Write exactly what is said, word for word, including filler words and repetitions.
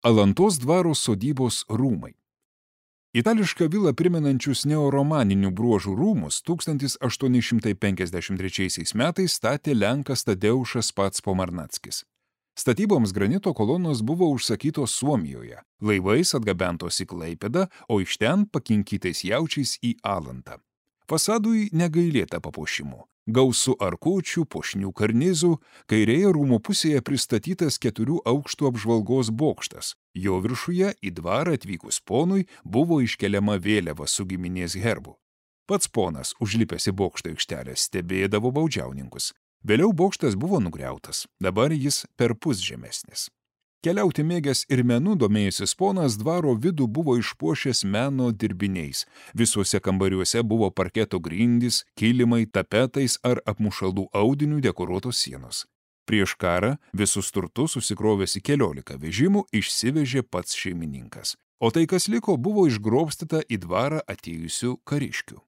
Alantos dvaro sodybos rūmai. Itališką vilą primenančius neoromaninių bruožų rūmus tūkstantis aštuoni šimtai penkiasdešimt trečiaisiais metais statė lenkas Tadeušas pats Pomarnackis. Statyboms granito kolonos buvo užsakytos Suomijoje, laivais atgabentos į Klaipėdą, o iš ten pakinkytais jaučiais į Alantą. Fasadui negailėta papuošimų. Gausu arkučių, puošnių karnizų, kairėje rūmų pusėje pristatytas keturių aukštų apžvalgos bokštas. Jo viršuje į dvarą atvykus ponui buvo iškeliama vėliava su giminės herbu. Pats ponas, užlipęs į bokšto aikštelę, stebėdavo baudžiauninkus. Vėliau bokštas buvo nugriautas, dabar jis perpus žemesnis. Keliauti mėgęs ir menu domėjęsis ponas dvaro vidų buvo išpuošęs meno dirbiniais. Visuose kambariuose buvo parketo grindys, kilimai, tapetais ar apmušalų audinių dekoruotos sienos. Prieš karą visus turtus susikrovęs į keliolika vežimų išsivežė pats šeimininkas. O tai, kas liko, buvo išgrobstyta į dvarą atėjusių kariškių.